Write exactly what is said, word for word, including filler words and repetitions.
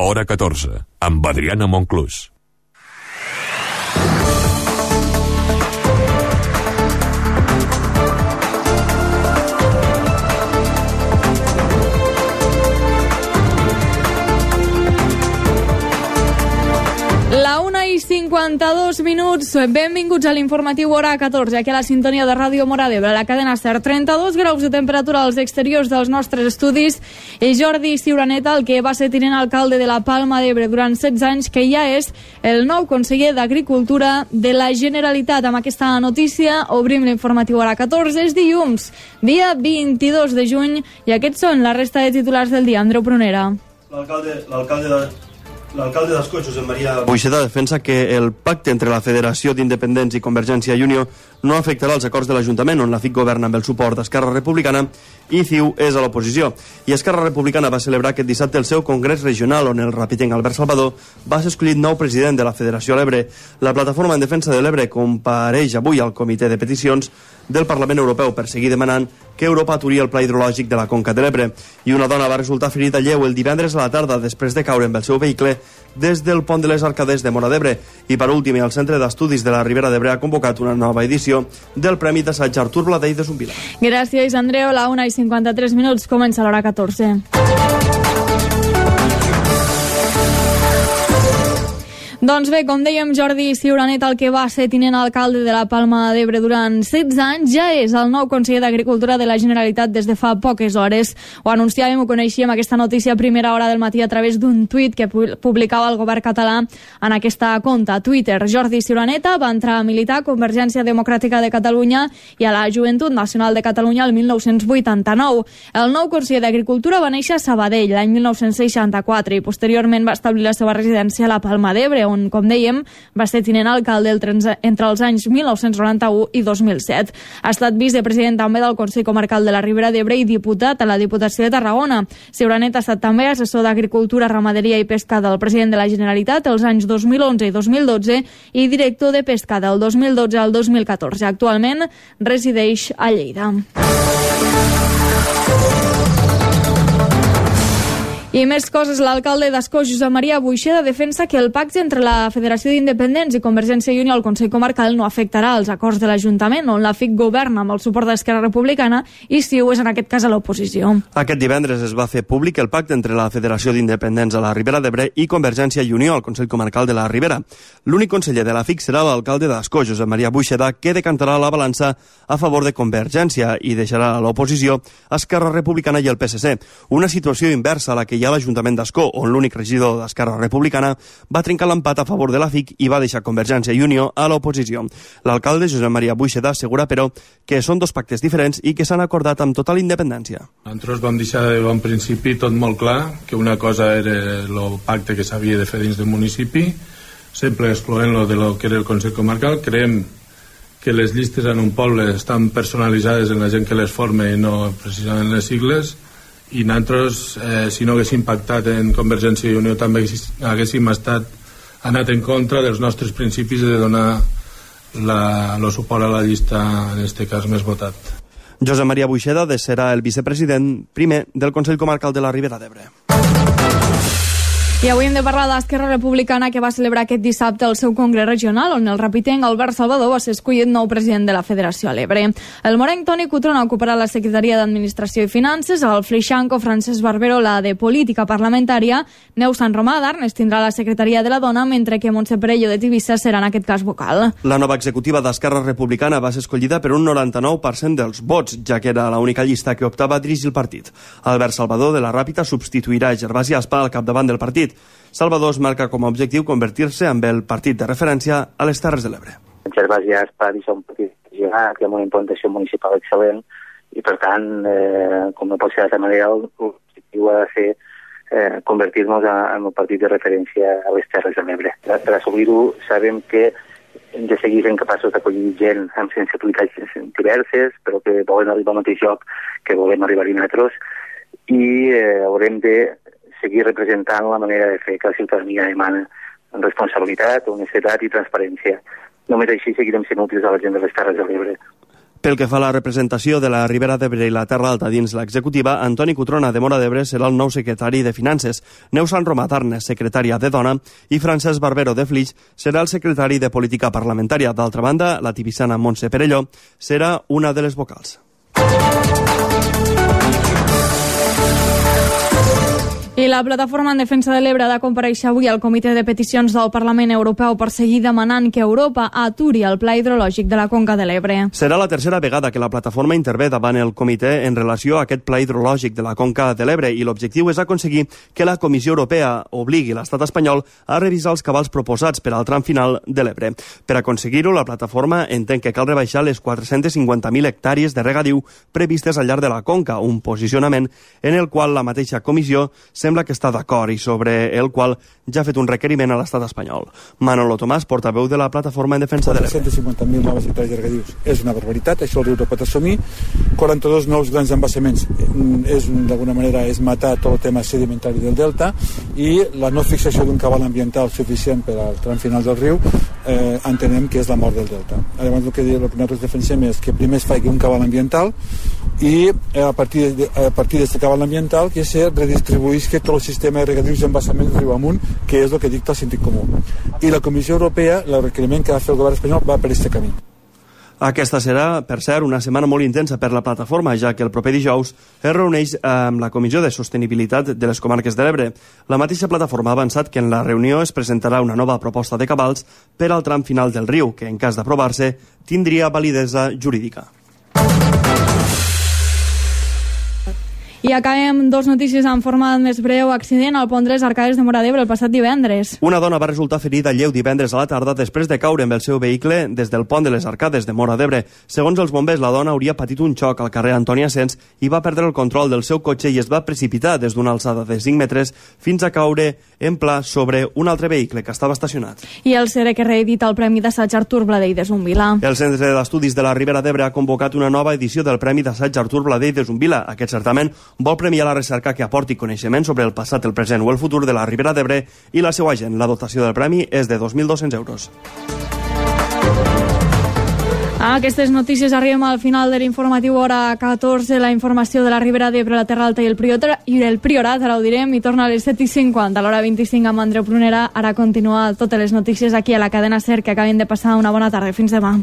Hora catorze, amb Adriana Monclús. La una i cinquanta-dos minuts, benvinguts a l'informatiu Hora catorze, aquí a la sintonia de Ràdio Móra d'Ebre, la cadena SER. trenta-dos graus de temperatura als exteriors dels nostres estudis, i Jordi Ciuraneta, el que va ser tinent alcalde de la Palma d'Ebre durant setze anys, que ja és el nou conseller d'Agricultura de la Generalitat. Amb aquesta notícia obrim l'informatiu Hora catorze. És dilluns, dia vint-i-dos de juny, i aquests són la resta de titulars del dia. Andreu Prunera. L'alcalde l'alcalde de... L'alcalde d'Ascó, Josep Maria Buixeda, defensa que el pacte entre la Federació d'Independents i Convergència i Unió no afectarà els acords de l'Ajuntament, on la F I C governa amb el suport d'Esquerra Republicana i C I U és a l'oposició. I Esquerra Republicana va celebrar aquest dissabte el seu congrés regional, on el rapitenc Albert Salvador va ser escollit nou president de la Federació a l'Ebre. La Plataforma en Defensa de l'Ebre compareix avui al Comitè de Peticions del Parlament Europeu per seguir demanant que Europa aturi el pla hidrològic de la Conca de l'Ebre. I una dona va resultar ferida lleu el divendres a la tarda després de caure amb el seu vehicle des del pont de les Arcades de Móra d'Ebre. I per últim, el Centre d'Estudis de la Ribera d'Ebre ha convocat una nova edició del Premi d'Assaig Artur Bladell de Zumbilar. Gràcies, Andreu. La una i cinquanta-tres minuts, comença l'Hora catorze. Doncs bé, com dèiem, Jordi Ciuraneta, el que va ser tinent alcalde de la Palma d'Ebre durant setze anys, ja és el nou conseller d'Agricultura de la Generalitat des de fa poques hores. Ho anunciàvem, ho coneixíem, aquesta notícia a primera hora del matí a través d'un tuit que publicava el govern català en aquesta compte, Twitter. Jordi Ciuraneta va entrar a militar a Convergència Democràtica de Catalunya i a la Joventut Nacional de Catalunya el mil nou-cents vuitanta-nou. El nou conseller d'Agricultura va néixer a Sabadell l'any mil nou-cents seixanta-quatre i posteriorment va establir la seva residència a la Palma d'Ebre, on, com dèiem, va ser tinent alcalde entre els anys mil nou-cents noranta-u i dos mil set. Ha estat vicepresident també del Consell Comarcal de la Ribera d'Ebre i diputat a la Diputació de Tarragona. Ciuraneta ha estat també assessor d'Agricultura, Ramaderia i Pesca del president de la Generalitat els anys dos mil onze i dos mil dotze i director de Pesca del dos mil dotze al dos mil catorze. Actualment resideix a Lleida. I més coses, l'alcalde d'Ascó, Josep Maria Buixeda, defensa que el pacte entre la Federació d'Independents i Convergència i Unió al Consell Comarcal no afectarà els acords de l'Ajuntament, on la F I C governa amb el suport d'Esquerra Republicana i C I U és en aquest cas a l'oposició. Aquest divendres es va fer públic el pacte entre la Federació d'Independents a la Ribera d'Ebre i Convergència i Unió al Consell Comarcal de la Ribera. L'únic conseller de la F I C serà l'alcalde d'Ascó, Josep Maria Buixeda, que decantarà la balança a favor de Convergència i deixarà a l'oposició Esquerra Republicana i el P S C. Una situació inversa a la que hi ha l'Ajuntament d'Ascó, on l'únic regidor d'Esquerra Republicana va trencar l'empat a favor de la F I C i va deixar Convergència i Unió a l'oposició. L'alcalde, Josep Maria Buixeda, assegura, però, que són dos pactes diferents i que s'han acordat amb total independència. Nosaltres vam deixar de bon principi tot molt clar, que una cosa era el pacte que s'havia de fer dins del municipi, sempre excloent lo de lo que era el Consell Comarcal. Creiem que les llistes en un poble estan personalitzades en la gent que les forma i no precisament les sigles, i nosaltres, eh, si no haguéssim pactat en Convergència i Unió, també haguéssim estat anat en contra dels nostres principis de donar la, el suport a la llista, en aquest cas, més votat. Josep Maria Buixeda serà el vicepresident primer del Consell Comarcal de la Ribera d'Ebre. I avui hem de parlar d'Esquerra Republicana, que va celebrar aquest dissabte el seu congrés regional, on el rapitenc Albert Salvador va ser escollit nou president de la Federació a l'Ebre. El morenc Toni Cotrona ocuparà la Secretaria d'Administració i Finances, el flixanco Francesc Barbero la de Política Parlamentària, Neus Sant Romà d'Arnes tindrà la Secretaria de la Dona, mentre que Montse Perello de Tivissa serà en aquest cas vocal. La nova executiva d'Esquerra Republicana va ser escollida per un noranta-nou per cent dels vots, ja que era l'única llista que optava a dirigir el partit. Albert Salvador de la Ràpita substituirà Gervasi Aspa al capdavant del partit. Salvador es marca com a objectiu convertir-se en el partit de referència a les Terres de l'Ebre. Gervasi Aspa és un partit que amb una implantació municipal excel·lent i, per tant, eh, com no pot ser d'altra manera, l'objectiu ha de ser eh, convertir-nos en un partit de referència a les Terres de l'Ebre. Per assolir-ho, sabem que hem de seguir sent capaços d'acollir gent amb sensibilitats diverses, però que volen arribar al mateix lloc que volem arribar-hi nosaltres, i eh, haurem de seguir representant la manera de fer que la ciutadania demana, amb responsabilitat, honestedat i transparència. Només així seguirem sent útils a la gent de les Terres de l'Ebre. Pel que fa a la representació de la Ribera d'Ebre i la Terra Alta dins l'executiva, Antoni Cutrona de Móra d'Ebre serà el nou secretari de Finances, Neus Sant Romà Tarnes, secretària de Dona, i Francesc Barbero de Flix serà el secretari de Política Parlamentària. D'altra banda, la tibissana Montse Perelló serà una de les vocals. I la Plataforma en Defensa de l'Ebre ha de comparèixer avui al Comitè de Peticions del Parlament Europeu per seguir demanant que Europa aturi el pla hidrològic de la Conca de l'Ebre. Serà la tercera vegada que la plataforma intervé davant el comitè en relació a aquest pla hidrològic de la Conca de l'Ebre i l'objectiu és aconseguir que la Comissió Europea obligui l'estat espanyol a revisar els cabals proposats per al tram final de l'Ebre. Per aconseguir-ho, la plataforma entén que cal rebaixar les quatre-centes cinquanta mil hectàrees de regadiu previstes al llarg de la Conca, un posicionament en el qual la mateixa comissió sembla que està d'acord i sobre el qual ja ha fet un requeriment a l'estat espanyol. Manolo Tomàs, portaveu de la Plataforma en Defensa de l'Ebre. quatre-centes cinquanta mil noves hectàrees de regadius és una barbaritat, això el riu no pot assumir. quaranta-dos nous grans embassaments és, d'alguna manera, és matar tot el tema sedimentari del delta, i la no fixació d'un cabal ambiental suficient per al tram final del riu eh, entenem que és la mort del delta. Llavors el que, el que nosaltres defensem és que primer es faci un cabal ambiental i eh, a partir de, a partir d'aquest cabal ambiental que se redistribuïsca tot el sistema de regadius i embassaments riu amunt, que és el que dicta el sentit comú. I la Comissió Europea, el requeriment que va fer el govern espanyol, va per aquest camí. Aquesta serà, per cert, una setmana molt intensa per la plataforma, ja que el proper dijous es reuneix amb la Comissió de Sostenibilitat de les Comarques de l'Ebre. La mateixa plataforma ha avançat que en la reunió es presentarà una nova proposta de cabals per al tram final del riu, que en cas d'aprovar-se tindria validesa jurídica. I acabem dos notícies en format més breu. Accident al pont de les Arcades de Móra d'Ebre el passat divendres. Una dona va resultar ferida lleu divendres a la tarda després de caure amb el seu vehicle des del pont de les Arcades de Móra d'Ebre. Segons els bombers, la dona hauria patit un xoc al carrer Antoni Asens i va perdre el control del seu cotxe i es va precipitar des d'una alçada de cinc metres fins a caure en pla sobre un altre vehicle que estava estacionat. I el C E R E que reedita el Premi d'Assaig Artur Bladell de Zumbila. El Centre d'Estudis de la Ribera d'Ebre ha convocat una nova edició del Premi d'Assaig Artur Bladell de Zumbila. Aquest certamen vol premiar la recerca que aporti coneixement sobre el passat, el present o el futur de la Ribera d'Ebre i la seva gent. La dotació del premi és de dos mil dos-cents euros. A aquestes notícies arribem al final de l'informatiu hora catorze. La informació de la Ribera d'Ebre, la Terra Alta i el Priorat, i el Priorat ara ho direm, i torna a les set i cinquanta, a l'hora vint-i-cinc amb Andreu Prunera. Ara continua totes les notícies aquí a la cadena SER, que acaben de passar una bona tarda. Fins demà.